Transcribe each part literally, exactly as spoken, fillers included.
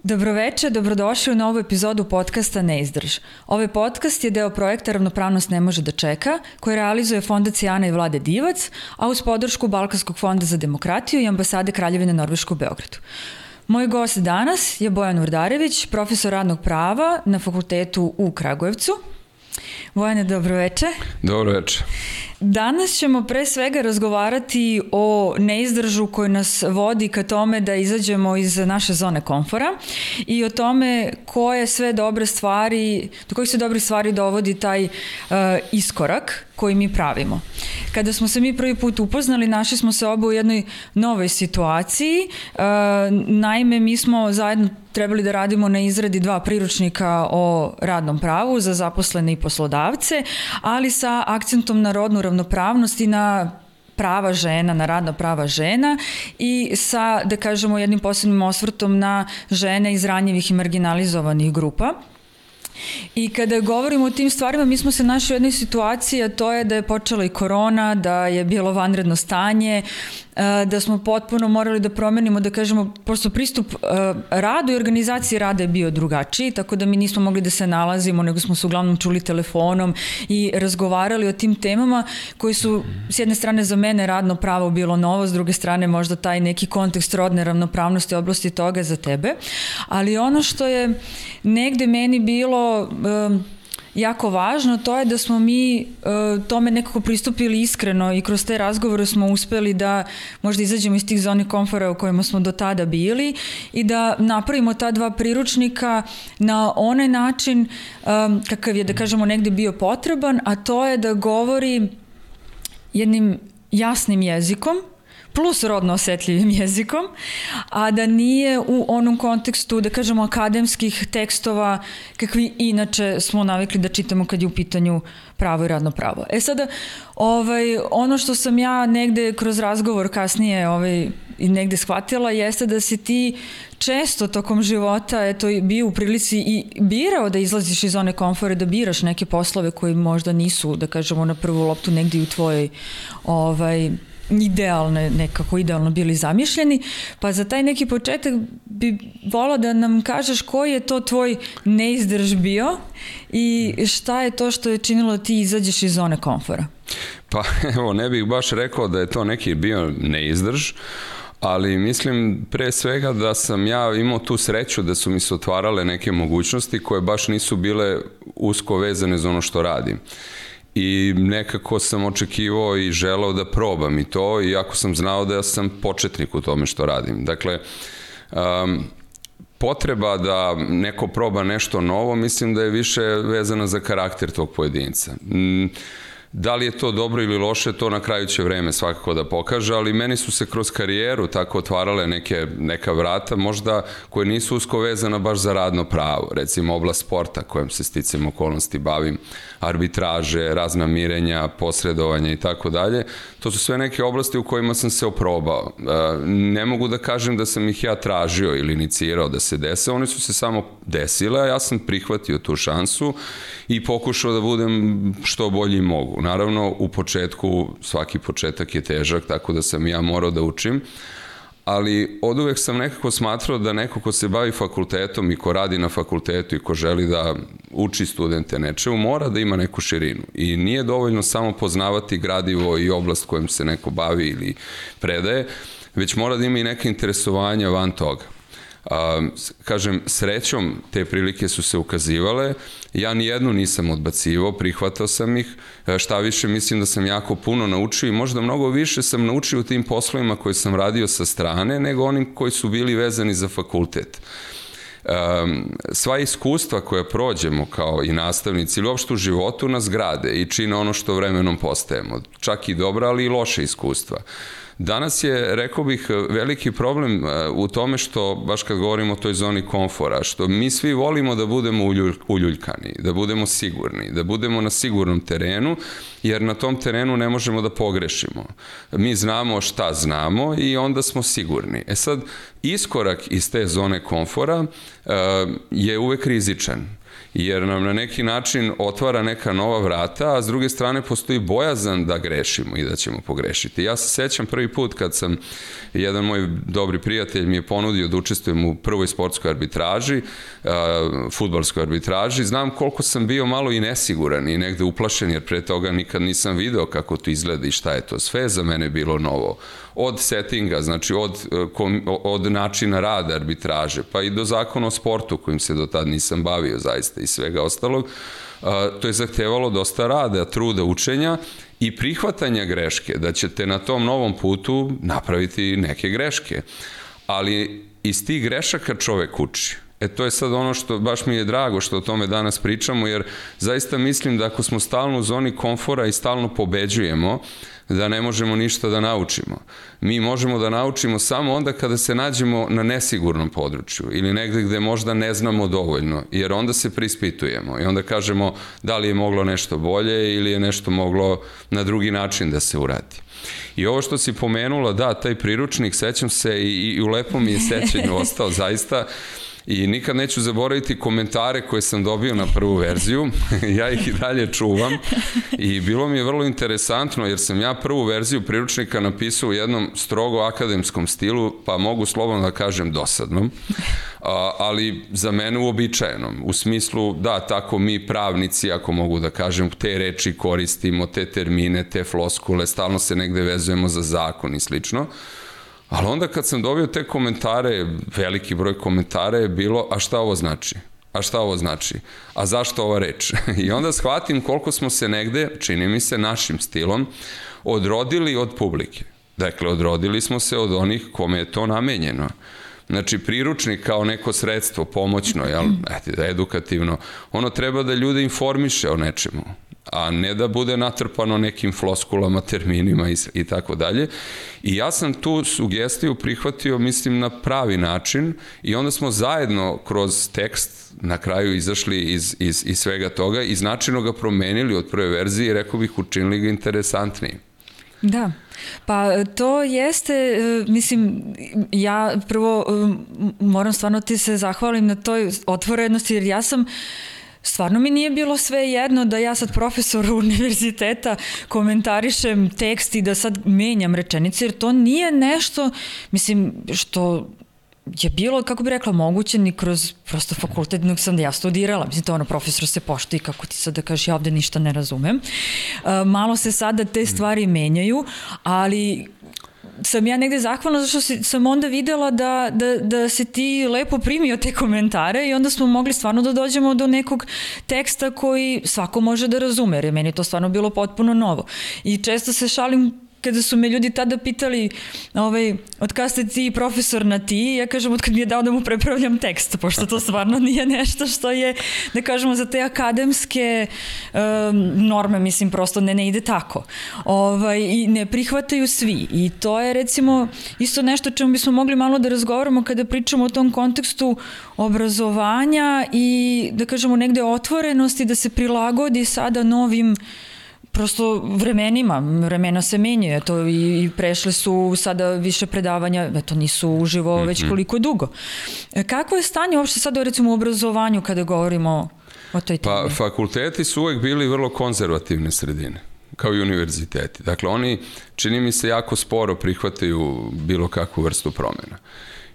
Dobroveče, dobrodošli u novu epizodu podcasta Neizdrž. Ovaj podcast je deo projekta Ravnopravnost ne može da čeka, koji realizuje Fondacija Ana i Vlade Divac, a uz podršku Balkanskog fonda za demokratiju i ambasade Kraljevine Norveške u Beogradu. Moj gost danas je Bojan Urdarević, profesor radnog prava na fakultetu u Kragujevcu. Bojane, dobroveče. Dobroveče. Danas ćemo pre svega razgovarati o neizdržu koji nas vodi ka tome da izađemo iz naše zone komfora i o tome koje sve dobre stvari, do kojih se dobrih stvari dovodi taj uh, iskorak koji mi pravimo. Kada smo se mi prvi put upoznali, našli smo se oba u jednoj novoj situaciji. Uh, naime, mi smo zajedno trebali da radimo na izradi dva priručnika o radnom pravu za zaposlene i poslodavce, ali sa akcentom na rodnu ravnopravnost i na prava žena, na radna prava žena i sa, da kažemo, jednim posebnim osvrtom na žene iz ranjivih i marginalizovanih grupa. I kada govorimo o tim stvarima, mi smo se našli u jednoj situaciji, a to je da je počela i korona, da je bilo vanredno stanje, da smo potpuno morali da promenimo, da kažemo, prosto pristup radu i organizaciji rada je bio drugačiji, tako da mi nismo mogli da se nalazimo, nego smo se uglavnom čuli telefonom i razgovarali o tim temama koji su, s jedne strane, za mene radno pravo bilo novo, s druge strane možda taj neki kontekst rodne ravnopravnosti oblasti toga za tebe, ali ono što je negde meni bilo um, jako važno, to je da smo mi uh, tome nekako pristupili iskreno i kroz te razgovore smo uspeli da možda izađemo iz tih zoni komfora u kojima smo do tada bili i da napravimo ta dva priručnika na onaj način um, kakav je, da kažemo, negde bio potreban, a to je da govori jednim jasnim jezikom, plus rodno osetljivim jezikom, a da nije u onom kontekstu, da kažemo, akademskih tekstova kakvi inače smo navikli da čitamo kad je u pitanju pravo i radno pravo. E sada, ovaj, ono što sam ja negde kroz razgovor kasnije ovaj, i negde shvatila jeste da si ti često tokom života eto, bio u prilici i birao da izlaziš iz zone komfora, da biraš neke poslove koji možda nisu, da kažemo, na prvu loptu negde u tvojoj ovaj, idealne, nekako idealno bili zamišljeni, pa za taj neki početak bi volao da nam kažeš koji je to tvoj neizdrž bio i šta je to što je činilo da ti izađeš iz zone komfora? Pa evo, ne bih baš rekao da je to neki bio neizdrž, ali mislim pre svega da sam ja imao tu sreću da su mi se otvarale neke mogućnosti koje baš nisu bile usko vezane za ono što radim. I nekako sam očekivao i želeo da probam i to, iako sam znao da ja sam početnik u tome što radim. Dakle, um, potreba da neko proba nešto novo, mislim da je više vezana za karakter tog pojedinca. Mm, Da li je to dobro ili loše, to na kraju će vreme svakako da pokaže, ali meni su se kroz karijeru tako otvarale neke, neka vrata, možda koje nisu usko vezana baš za radno pravo, recimo oblast sporta kojom se sticam okolnosti bavim, arbitraže, razna mirenja, posredovanja i tako dalje. To su sve neke oblasti u kojima sam se oprobao. Ne mogu da kažem da sam ih ja tražio ili inicirao da se dese, one su se samo desile, a ja sam prihvatio tu šansu i pokušao da budem što bolji mogu. Naravno, u početku, svaki početak je težak, tako da sam ja morao da učim, ali od uvek sam nekako smatrao da neko ko se bavi fakultetom i ko radi na fakultetu i ko želi da uči studente nečemu, mora da ima neku širinu. I nije dovoljno samo poznavati gradivo i oblast kojom se neko bavi ili predaje, već mora da ima i neke interesovanja van toga. Uh, kažem, srećom te prilike su se ukazivale, ja nijednu nisam odbacivao, prihvatao sam ih, šta više mislim da sam jako puno naučio i možda mnogo više sam naučio u tim poslovima koje sam radio sa strane nego onim koji su bili vezani za fakultet. Um, sva iskustva koja prođemo kao i nastavnici ili uopšte u životu nas grade i čine ono što vremenom postajemo, čak i dobra, ali i loše iskustva. Danas je, rekao bih, veliki problem u tome što, baš kad govorimo o toj zoni komfora, što mi svi volimo da budemo uljuljkani, da budemo sigurni, da budemo na sigurnom terenu, jer na tom terenu ne možemo da pogrešimo. Mi znamo šta znamo i onda smo sigurni. E sad, iskorak iz te zone komfora je uvek rizičan. jer nam na neki način otvara neka nova vrata, a s druge strane postoji bojazan da grešimo i da ćemo pogrešiti. Ja se sećam prvi put kad sam, jedan moj dobri prijatelj mi je ponudio da učestvujem u prvoj sportskoj arbitraži, fudbalskoj arbitraži, znam koliko sam bio malo i nesiguran i negde uplašen, jer pre toga nikad nisam video kako to izgleda i šta je to sve, za mene bilo novo. Od settinga, znači od, od načina rada arbitraže, pa i do zakona o sportu kojim se do tad nisam bavio zaista i svega ostalog, to je zahtevalo dosta rada, truda, učenja i prihvatanja greške, da ćete na tom novom putu napraviti neke greške. Ali iz tih grešaka čovek uči. E to je sad ono što baš mi je drago što o tome danas pričamo, jer zaista mislim da ako smo stalno u zoni komfora i stalno pobeđujemo, da ne možemo ništa da naučimo. Mi možemo da naučimo samo onda kada se nađemo na nesigurnom području ili negde gde možda ne znamo dovoljno, jer onda se prispitujemo i onda kažemo da li je moglo nešto bolje ili je nešto moglo na drugi način da se uradi. I ovo što si pomenula, da, taj priručnik, sećam se i, i u lepom mi je sećanju ostao zaista. I nikad neću zaboraviti komentare koje sam dobio na prvu verziju, ja ih i dalje čuvam i bilo mi je vrlo interesantno jer sam ja prvu verziju priručnika napisao u jednom strogo akademskom stilu, pa mogu slobodno da kažem dosadnom, ali za mene uobičajenom, u smislu da tako mi pravnici, ako mogu da kažem, te reči koristimo, te termine, te floskule, stalno se negde vezujemo za zakon i slično. Ali onda kad sam dobio te komentare, veliki broj komentara je bilo, a šta ovo znači? A šta ovo znači? A zašto ova reč? I onda shvatim koliko smo se negde, čini mi se našim stilom, odrodili od publike. Dakle, odrodili smo se od onih kome je to namenjeno. Znači, priručnik kao neko sredstvo, pomoćno, jel, edukativno, ono treba da ljude informiše o nečemu, a ne da bude natrpano nekim floskulama, terminima i, i tako dalje. I ja sam tu sugestiju prihvatio, mislim, na pravi način i onda smo zajedno kroz tekst na kraju izašli iz, iz, iz svega toga i značajno ga promenili od prve verzije i rekao bih učinili ga interesantnijim. Da, pa to jeste, mislim, ja prvo moram stvarno ti se zahvalim na toj otvorenosti, jer ja sam stvarno mi nije bilo sve jedno da ja sad profesoru univerziteta komentarišem tekst i da sad menjam rečenice, jer to nije nešto, mislim, što je bilo, kako bi rekla, moguće ni kroz prosto fakultet, nego sam da ja studirala. Mislim, to ono, profesor se poštuje, kako ti sad da kažeš, ja ovde ništa ne razumem. Malo se sada te stvari menjaju, ali sam ja negde zahvalna zašto sam onda videla da, da, da se ti lepo primio te komentare i onda smo mogli stvarno da dođemo do nekog teksta koji svako može da razume, jer je meni to stvarno bilo potpuno novo. I često se šalim kada su me ljudi tada pitali ovaj, od kada ste ti profesor na ti, ja kažem od kada mi je dao da mu prepravljam tekst, pošto to stvarno nije nešto što je, da kažemo, za te akademske um, norme, mislim, prosto ne, ne ide tako. Ovaj, I ne prihvataju svi. I to je, recimo, isto nešto čemu bismo mogli malo da razgovaramo kada pričamo o tom kontekstu obrazovanja i, da kažemo, negde otvorenosti da se prilagodi sada novim prosto vremenima, vremena se menjaju, to i prešle su sada više predavanja, eto nisu uživo mm-hmm. već koliko dugo. Kako je stanje uopšte sada recimo u obrazovanju kada govorimo o toj temi? Pa fakulteti su uvek bili vrlo konzervativne sredine, kao i univerziteti. Dakle, oni, čini mi se, jako sporo prihvataju bilo kakvu vrstu promjena.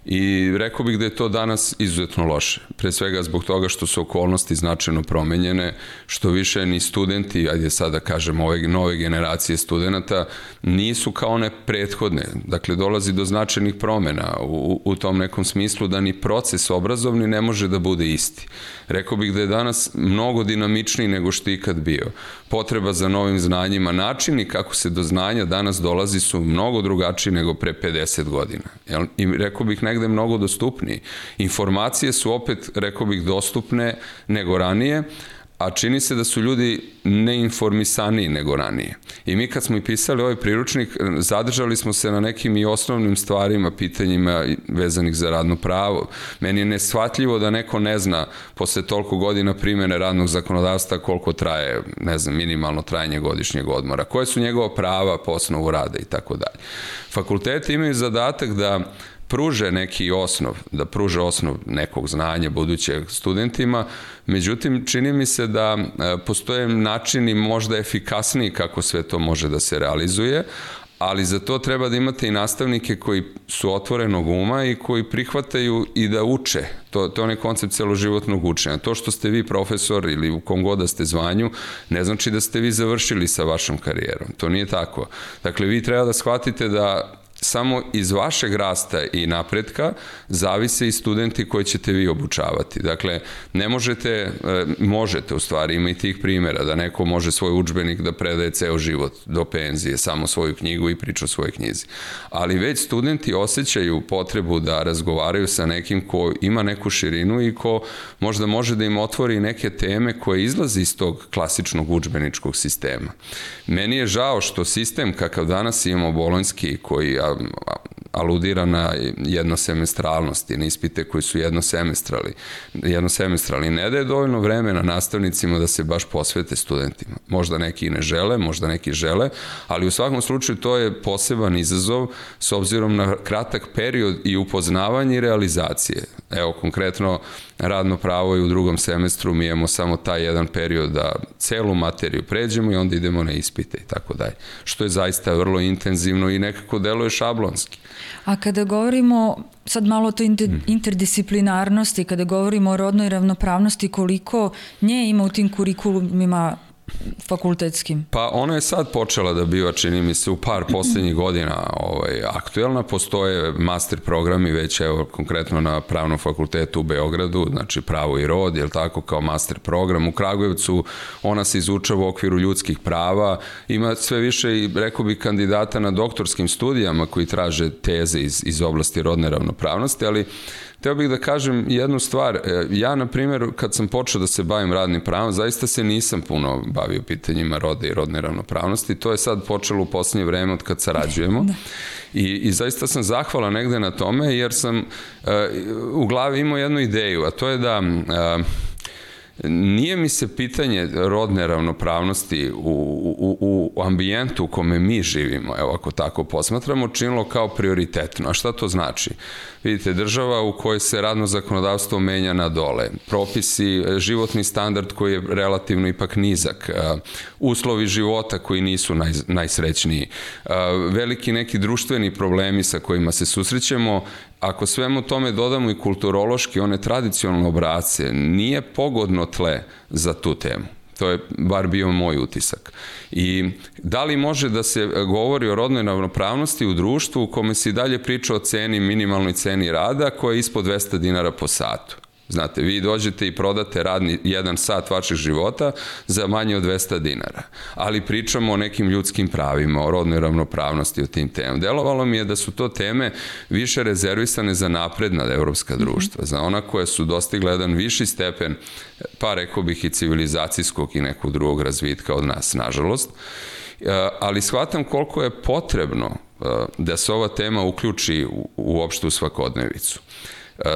I rekao bih da je to danas izuzetno loše. Pre svega zbog toga što su okolnosti značajno promenjene, što više ni studenti, ajde sad da kažem ove nove generacije studenta, nisu kao one prethodne. Dakle, dolazi do značajnih promjena u, u tom nekom smislu da ni proces obrazovni ne može da bude isti. Rekao bih da je danas mnogo dinamičniji nego što je ikad bio. Potreba za novim znanjima, načini kako se do znanja danas dolazi su mnogo drugačiji nego pre pedeset godina. I rekao bih negde mnogo dostupniji. Informacije su opet, rekao bih, dostupne nego ranije, a čini se da su ljudi neinformisaniji nego ranije. I mi kad smo i pisali ovaj priručnik, zadržali smo se na nekim i osnovnim stvarima, pitanjima vezanih za radno pravo. Meni je neshvatljivo da neko ne zna posle toliko godina primjene radnog zakonodavstva koliko traje, ne znam, minimalno trajanje godišnjeg odmora, koje su njegova prava po osnovu rada i tako dalje. Fakulteti imaju zadatak da pruže neki osnov, da pruže osnov nekog znanja budućeg studentima, međutim čini mi se da postoje načini možda efikasniji kako sve to može da se realizuje, ali za to treba da imate i nastavnike koji su otvorenog uma i koji prihvataju i da uče. To, to je onaj koncept celoživotnog učenja. To što ste vi profesor ili u kom god da ste zvanju, ne znači da ste vi završili sa vašom karijerom. To nije tako. Dakle, vi treba da shvatite da samo iz vašeg rasta i napretka zavise i studenti koji ćete vi obučavati. Dakle, ne možete, možete u stvari, ima i tih primjera da neko može svoj udžbenik da predaje ceo život do penzije, samo svoju knjigu i priču o svojoj knjizi. Ali već studenti osjećaju potrebu da razgovaraju sa nekim ko ima neku širinu i ko možda može da im otvori neke teme koje izlaze iz tog klasičnog udžbeničkog sistema. Meni je žao što sistem kakav danas imamo bolonjski, koji aludira na jednosemestralnosti, na ispite koji su jednosemestrali, jednosemestrali, ne daje dovoljno vremena nastavnicima da se baš posvete studentima. Možda neki ne žele, možda neki žele, ali u svakom slučaju to je poseban izazov s obzirom na kratak period i upoznavanje i realizacije. Evo, konkretno, radno pravo i u drugom semestru mi imamo samo taj jedan period da celu materiju pređemo i onda idemo na ispite i tako dalje. Što je zaista vrlo intenzivno i nekako deluje šablonski. A kada govorimo sad malo o toj interdisciplinarnosti, kada govorimo o rodnoj ravnopravnosti, koliko nje ima u tim kurikulumima fakultetskim? Pa ona je sad počela da biva, čini mi se, u par poslednjih godina ovaj, aktuelna. Postoje master programi već, evo, konkretno na Pravnom fakultetu u Beogradu, znači pravo i rod, jel tako, kao master program. U Kragujevcu ona se izučava u okviru ljudskih prava. Ima sve više i, rekao bi, kandidata na doktorskim studijama koji traže teze iz, iz oblasti rodne ravnopravnosti, ali hteo bih da kažem jednu stvar. Ja, na primjer, kad sam počeo da se bavim radnim pravom, zaista se nisam puno bavio pitanjima roda i rodne ravnopravnosti. To je sad počelo u poslednje vreme od kad sarađujemo. I, i zaista sam zahvalan negde na tome, jer sam uh, u glavi imao jednu ideju, a to je da uh, nije mi se pitanje rodne ravnopravnosti u, u, u ambijentu u kome mi živimo, evo ako tako posmatramo, činilo kao prioritetno. A šta to znači? Vidite, država u kojoj se radno zakonodavstvo menja na dole, propisi, životni standard koji je relativno ipak nizak, uslovi života koji nisu naj, najsrećniji, veliki neki društveni problemi sa kojima se susrećemo. Ako svemu tome dodamo i kulturološki, one tradicionalne obrace, nije pogodno tle za tu temu. To je bar bio moj utisak. I da li može da se govori o rodnoj ravnopravnosti u društvu u kome se i dalje priča o ceni, minimalnoj ceni rada koja je ispod dvesta dinara po satu? Znate, vi dođete i prodate radni jedan sat vašeg života za manje od dvesta dinara. Ali pričamo o nekim ljudskim pravima, o rodnoj ravnopravnosti, o tim temama. Delovalo mi je da su to teme više rezervisane za napredna evropska društva, za ona koja su dostigla jedan viši stepen, pa rekao bih i civilizacijskog i nekog drugog razvitka od nas, nažalost. Ali shvatam koliko je potrebno da se ova tema uključi uopšte u svakodnevicu.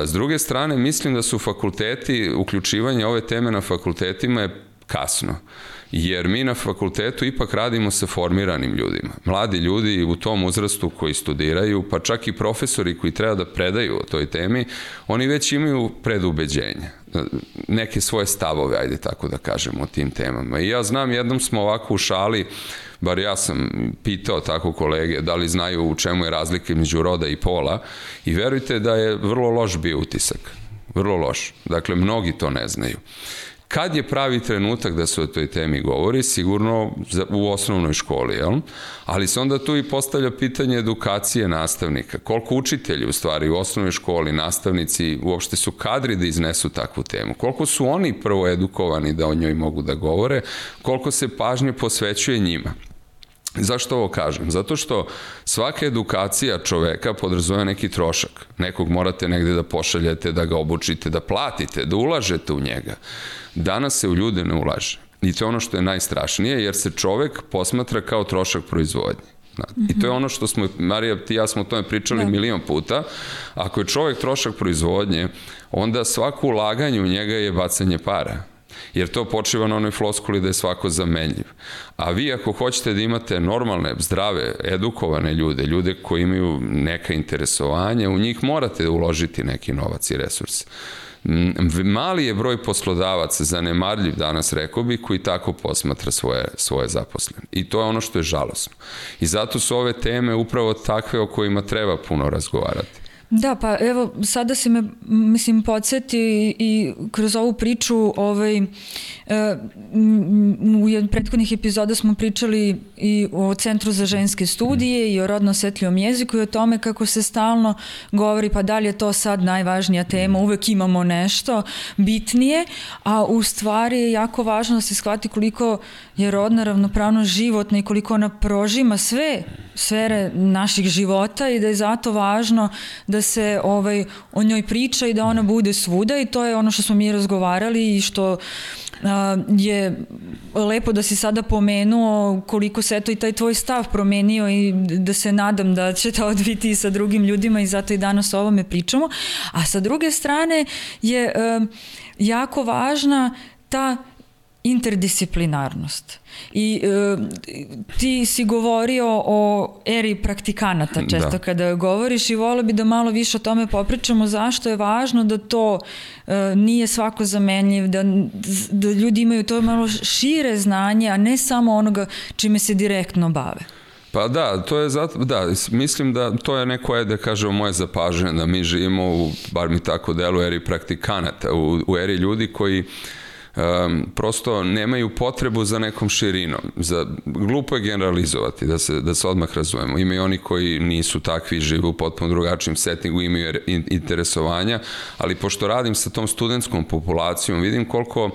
S druge strane, mislim da su fakulteti, uključivanje ove teme na fakultetima je kasno, jer mi na fakultetu ipak radimo sa formiranim ljudima. Mladi ljudi u tom uzrastu koji studiraju, pa čak i profesori koji treba da predaju o toj temi, oni već imaju predubeđenja, neke svoje stavove, ajde tako da kažemo, o tim temama. I ja znam, jednom smo ovako u šali, bar ja sam pitao tako kolege da li znaju u čemu je razlika između roda i pola, i verujte da je vrlo loš bio utisak. Vrlo loš. Dakle, mnogi to ne znaju. Kad je pravi trenutak da se o toj temi govori? Sigurno u osnovnoj školi, jel? Ali se onda tu i postavlja pitanje edukacije nastavnika. Koliko učitelji u stvari u osnovnoj školi, nastavnici uopšte su kadri da iznesu takvu temu? Koliko su oni prvo edukovani da o njoj mogu da govore? Koliko se pažnje posvećuje njima? Zašto ovo kažem? Zato što svaka edukacija čoveka podrazumeva neki trošak. Nekog morate negde da pošaljete, da ga obučite, da platite, da ulažete u njega. Danas se u ljude ne ulaže. I to je ono što je najstrašnije, jer se čovek posmatra kao trošak proizvodnje. I to je ono što smo, Marija, ti i ja smo o tome pričali milion puta. Ako je čovek trošak proizvodnje, onda svako ulaganje u njega je bacanje para. jer to počiva na onoj floskuli da je svako zamenljiv. A vi ako hoćete da imate normalne, zdrave, edukovane ljude, ljude koji imaju neka interesovanja, u njih morate uložiti neki novac i resurs. Mali je broj poslodavaca, zanemarljiv danas, rekao bi, koji tako posmatra svoje, svoje zaposlene. I to je ono što je žalosno. I zato su ove teme upravo takve o kojima treba puno razgovarati. Da, pa evo, sada si me, mislim, podsjeti i kroz ovu priču, ovaj, e, u jednom prethodnih epizoda smo pričali i o Centru za ženske studije i o rodno osetljivom jeziku i o tome kako se stalno govori pa da li je to sad najvažnija tema, uvek imamo nešto bitnije, a u stvari je jako važno da se shvati koliko je rodna ravnopravnost životna i koliko ona prožima sve sfere naših života i da je zato važno da se ovaj, o njoj priča i da ona bude svuda i to je ono što smo mi razgovarali i što a, je lepo da si sada pomenuo koliko se eto i taj tvoj stav promenio i da se nadam da će to odviti i sa drugim ljudima i zato i danas o ovome pričamo. A sa druge strane je a, jako važna ta interdisciplinarnost. I e, ti si govorio o eri praktikanata često da. Kada govoriš i volio bi da malo više o tome popričamo zašto je važno da to e, nije svako zamenljiv, da, da ljudi imaju to malo šire znanje, a ne samo onoga čime se direktno bave. Pa da, to je zato, da, mislim da to je neko je da kažemo moje zapažanje, da mi živimo u, bar mi tako delu, eri praktikanata, u, u eri ljudi koji Um, prosto nemaju potrebu za nekom širinom. Za, glupo je generalizovati, da se, da se odmah razumemo. Ima i oni koji nisu takvi, žive u potpuno drugačijem settingu, imaju interesovanja, ali pošto radim sa tom studentskom populacijom, vidim koliko,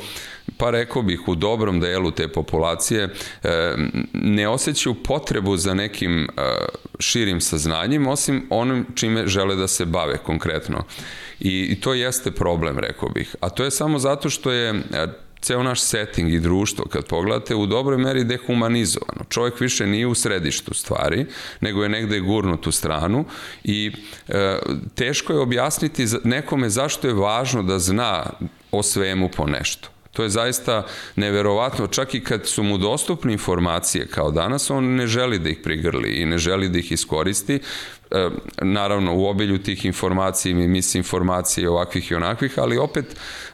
pa rekao bih, u dobrom delu te populacije ne osjećaju potrebu za nekim širim saznanjem, osim onim čime žele da se bave konkretno. I to jeste problem, rekao bih. A to je samo zato što je ceo naš setting i društvo, kad pogledate, u dobroj meri dehumanizovano. Čovjek više nije u središtu stvari, nego je negde gurnut u stranu i e, teško je objasniti nekome zašto je važno da zna o svemu po nešto. To je zaista neverovatno, čak i kad su mu dostupne informacije kao danas, on ne želi da ih prigrli i ne želi da ih iskoristi. E, naravno, u obilju tih informacija i misinformacije ovakvih i onakvih, ali opet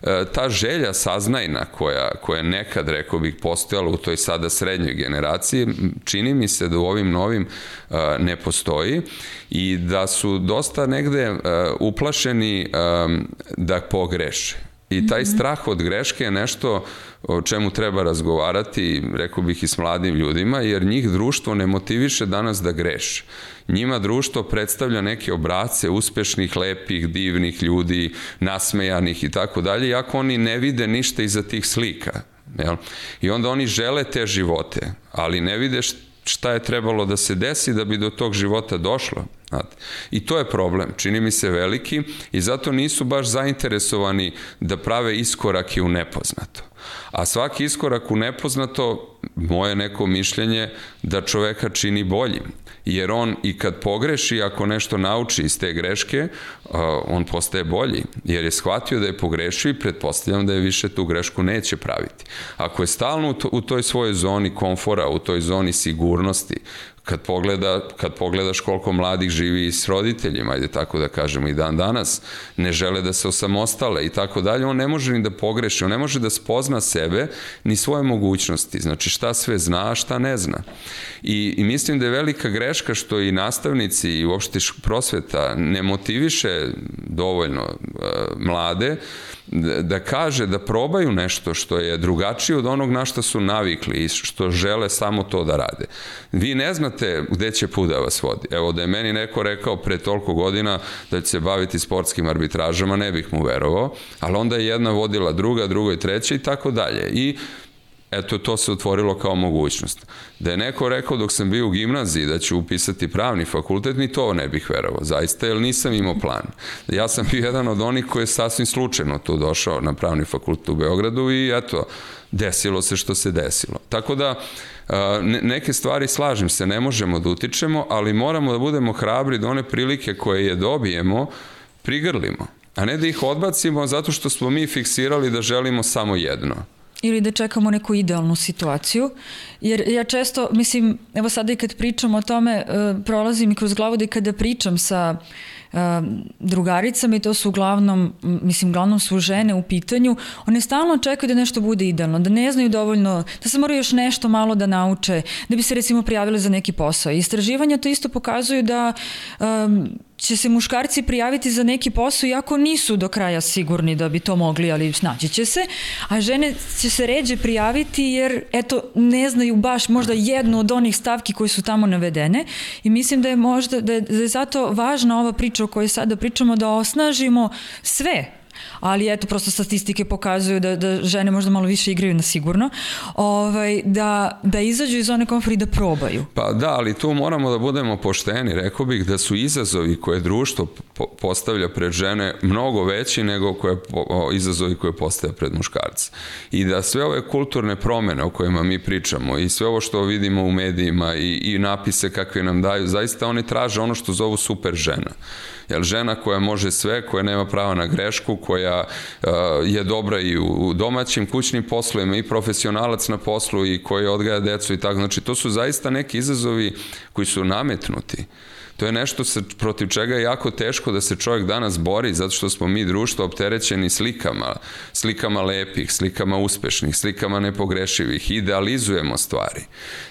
e, ta želja saznajna koja, koja nekad, rekao bih, postojala u toj sada srednjoj generaciji, čini mi se da u ovim novim e, ne postoji i da su dosta negde e, uplašeni e, da pogreše. I taj strah od greške je nešto o čemu treba razgovarati, rekao bih, i s mladim ljudima, jer njih društvo ne motiviše danas da greše. Njima društvo predstavlja neke obrasce uspešnih, lepih, divnih ljudi, nasmejanih i tako dalje, iako oni ne vide ništa iza tih slika. Jel? I onda oni žele te živote, ali ne vide šta je trebalo da se desi da bi do tog života došlo. I to je problem, čini mi se veliki i zato nisu baš zainteresovani da prave iskorake u nepoznato. A svaki iskorak u nepoznato, moje neko mišljenje, da čoveka čini boljim. Jer on i kad pogreši, ako nešto nauči iz te greške, on postaje bolji. Jer je shvatio da je pogrešio i pretpostavljam da je više tu grešku neće praviti. Ako je stalno u toj svojoj zoni komfora, u toj zoni sigurnosti, Kad, pogleda, kad pogledaš koliko mladih živi i s roditeljima, ajde tako da kažemo, i dan danas, ne žele da se osamostale i tako dalje, on ne može ni da pogreši, on ne može da spozna sebe ni svoje mogućnosti, znači šta sve zna, a šta ne zna. I, i mislim da je velika greška što i nastavnici i uopšte prosveta ne motiviše dovoljno uh, mlade da, da kaže da probaju nešto što je drugačije od onog na što su navikli i što žele samo to da rade. Vi ne znate gde će put da vas vodi. Evo, da je meni neko rekao pre toliko godina da će se baviti sportskim arbitražama, ne bih mu verovao, ali onda je jedna vodila druga, druga i treća i tako dalje. I eto, to se otvorilo kao mogućnost. Da je neko rekao dok sam bio u gimnaziji da ću upisati pravni fakultet, ni to ne bih verovao, zaista, jer nisam imao plan. Ja sam bio jedan od onih koji je sasvim slučajno tu došao na pravni fakultet u Beogradu i eto, desilo se što se desilo. Tako da, neke stvari, slažem se, ne možemo da utičemo, ali moramo da budemo hrabri da one prilike koje je dobijemo prigrlimo, a ne da ih odbacimo zato što smo mi fiksirali da želimo samo jedno. ili da čekamo neku idealnu situaciju, jer ja često, mislim, evo sada i kad pričam o tome, prolazi mi kroz glavu da i kada pričam sa drugaricama, i to su uglavnom, mislim, uglavnom su žene u pitanju, one stalno čekaju da nešto bude idealno, da ne znaju dovoljno, da se moraju još nešto malo da nauče, da bi se recimo prijavili za neki posao. Istraživanja to isto pokazuju da um, će se muškarci prijaviti za neki posao iako nisu do kraja sigurni da bi to mogli, ali snaći će se, a žene će se ređe prijaviti jer eto ne znaju baš možda jednu od onih stavki koje su tamo navedene, i mislim da je možda da je, da je zato važna ova priča o kojoj sada pričamo, da osnažimo sve. Ali eto, prosto statistike pokazuju da, da žene možda malo više igraju na sigurno, ovaj, da, da izađu iz zone komfora i da probaju. Pa da, ali tu moramo da budemo pošteni. Rekao bih da su izazovi koje društvo postavlja pred žene mnogo veći nego koje, izazovi koje postavlja pred muškarce. I da sve ove kulturne promene o kojima mi pričamo i sve ovo što vidimo u medijima i, i napise kakve nam daju, zaista oni traže ono što zovu super žena. Jer žena koja može sve, koja nema prava na grešku, koja uh, je dobra i u domaćim kućnim poslovima i profesionalac na poslu i koja odgaja decu i tako. Znači, to su zaista neki izazovi koji su nametnuti. To je nešto sa, protiv čega je jako teško da se čovjek danas bori, zato što smo mi društvo opterećeni slikama, slikama lepih, slikama uspešnih, slikama nepogrešivih, idealizujemo stvari.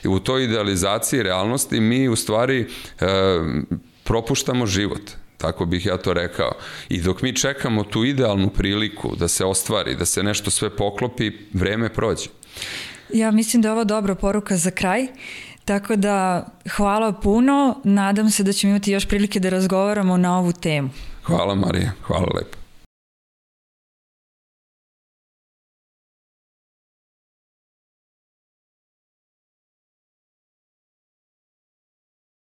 I u toj idealizaciji realnosti mi u stvari uh, propuštamo život. Tako bih ja to rekao. I dok mi čekamo tu idealnu priliku da se ostvari, da se nešto sve poklopi, vreme prođe. Ja mislim da je ovo dobra poruka za kraj. Tako da hvala puno. Nadam se da ćemo imati još prilike da razgovaramo na ovu temu. Hvala Marija, hvala lepo.